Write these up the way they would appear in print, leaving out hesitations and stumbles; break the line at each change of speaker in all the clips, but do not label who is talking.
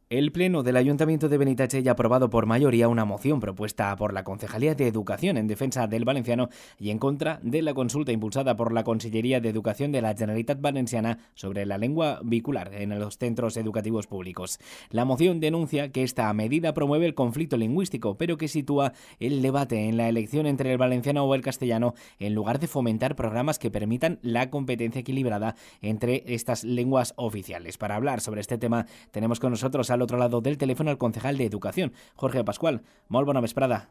El Pleno del Ayuntamiento de Benitatxell ha aprobado por mayoría una moción propuesta por la Concejalía de Educación en defensa del valenciano y en contra de la consulta impulsada por la Consellería de Educación de la Generalitat Valenciana sobre la lengua vehicular en los centros educativos públicos. La moción denuncia que esta medida promueve el conflicto lingüístico, pero que sitúa el debate en la elección entre el valenciano o el castellano en lugar de fomentar programas que permitan la competencia equilibrada entre estas lenguas oficiales. Para hablar sobre este tema tenemos con nosotros al otro lado del teléfono al concejal de Educación, Jorge Pascual. Molt bona vesprada.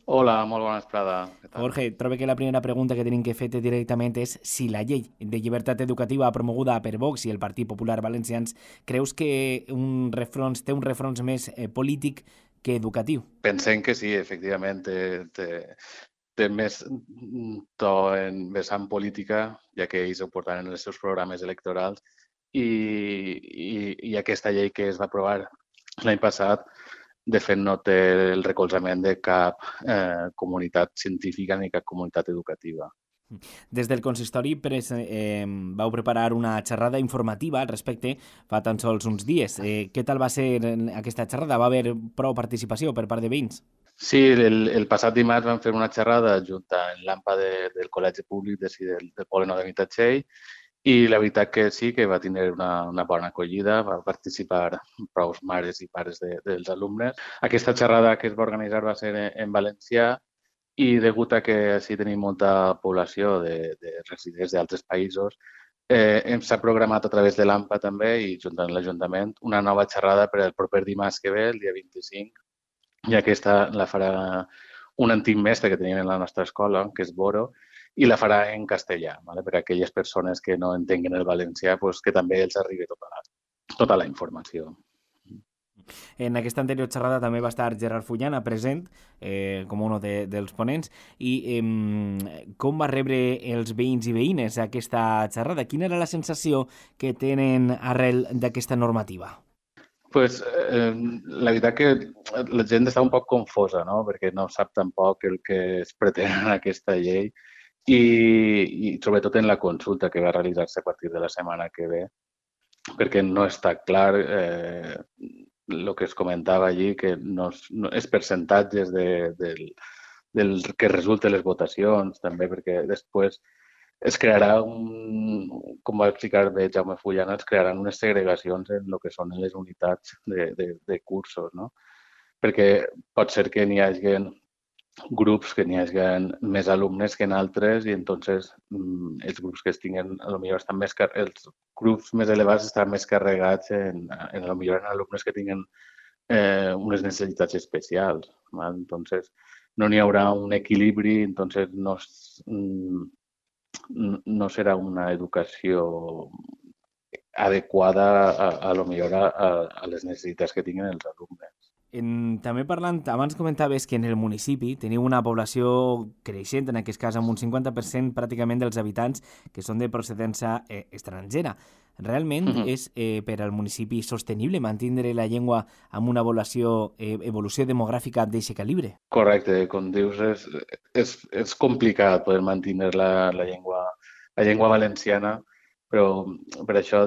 Hola, molt bona vesprada. Què tal?
Jorge, trobo que la primera pregunta que tenim que fer-te directament és si la llei de llibertat educativa promoguda per Vox i el Partit Popular Valencians creus que té un refrons més polític que educatiu.
Pensem que sí, efectivament, té més to en vessant política, ja que ells ho portaran en els seus programes electorals, i aquesta llei que es va aprovar l'any passat, de fet, no té el recolzament de cap comunitat científica ni cap comunitat educativa.
Des del consistori vau preparar una xerrada informativa al respecte fa tan sols uns dies. Què tal va ser aquesta xerrada? Va haver prou participació per part de veïns?
Sí, el passat dimarts vam fer una xerrada junt amb l'AMPA del Col·legi Públic del Poble Nou de Benitatxell i la veritat que sí, que va tenir una bona acollida, va participar prou mares i pares dels alumnes. Aquesta xerrada que es va organitzar va ser en valencià i degut a que així tenim molta població de residents d'altres països, s'ha programat a través de l'AMPA també i junt amb l'Ajuntament una nova xerrada per al proper dimarts que ve, el dia 25, i aquesta la farà un antic mestre que tenim en la nostra escola, que és Boro, i la farà en castellà, ¿vale? Per a aquelles persones que no entenguen el valencià, pues, que també els arribi tota la informació.
En aquesta anterior xerrada també va estar Gerard Fullana present com un dels ponents i com va rebre els veïns i veïnes aquesta xerrada? Quina era la sensació que tenen arrel d'aquesta normativa?
Pues, la veritat que la gent està un poc confosa, no? Perquè no sap tampoc el que es pretén en aquesta llei i sobretot en la consulta que va realitzar-se a partir de la setmana que ve, perquè no està clar el que es comentava allí, que els percentatges del que resulten les votacions, també perquè després es crearà com va explicar bé Jaume Fullana, es crearan unes segregacions en el que són les unitats de cursos, no? Perquè pot ser que n'hi hagi grups que n'hi hagi més alumnes que en altres i entonces els grups que estiguen potser estan els grups més elevats estan més carregats potser en alumnes que tinguen unes necessitats especials. ¿Vale? Entonces no n'hi haurà un equilibri, entonces no serà una educació adequada a les necessitats que tinguin els alumnes.
També parlant, abans comentaves que en el municipi teniu una població creixent, en aquest cas amb un 50% pràcticament dels habitants que són de procedència estrangera. Realment és per al municipi sostenible mantindre la llengua amb una evolució demogràfica d'aquest calibre?
Correcte, com dius, és complicat poder mantenir la llengua valenciana, però per això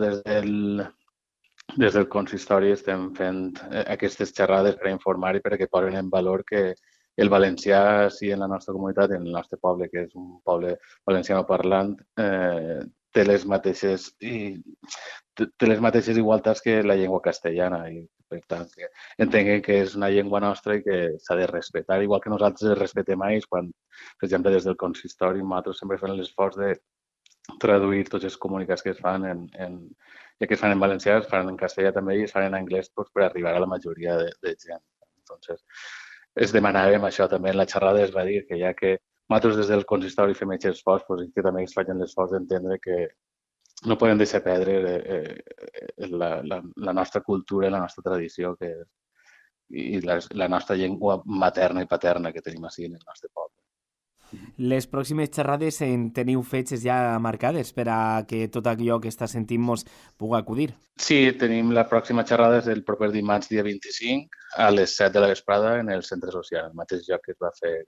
des del consistori estem fent aquestes xerrades per informar i perquè posen en valor que el valencià, sí, en la nostra comunitat, en el nostre poble, que és un poble valenciano parlant, té les mateixes igualtats que la llengua castellana i per tant que entenguem que és una llengua nostra i que s'ha de respectar, igual que nosaltres respetem a ells quan, per exemple, des del consistori nosaltres sempre fem l'esforç de traduir tots els comunicats que es fan ja que es fan en valencià, es fan en castellà també i es fan en anglès doncs, per arribar a la majoria de gent. Entonces, es demanàvem això també en la xerrada, es va dir que ja que nosaltres des del consistori fem aquest esforç, doncs, que també es facin l'esforç d'entendre que no podem deixar perdre la nostra cultura i la nostra tradició i la nostra llengua materna i paterna que tenim així en el nostre poble.
Les pròximes xerrades en teniu fetges ja marcades per a que tot allò que està sentint mos pugui acudir?
Sí, tenim la pròxima xerrada el proper dimarts, dia 25, a les 7 de la vesprada en el centre social, el mateix lloc que es va fer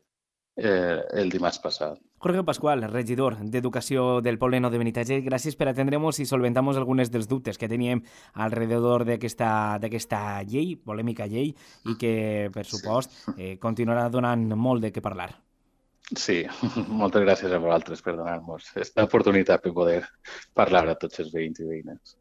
el dimarts passat.
Jorge Pascual, regidor d'Educació del Poble Nou de Benitatxell, gràcies per atendre'ns i solventamos algunes dels dubtes que teníem alrededor d'aquesta llei, polèmica llei, i que, per supost, continuarà donant molt de què parlar.
Sí, moltes gràcies a vosaltres per donar-nos aquesta oportunitat per poder parlar a tots els veïns i veïnes.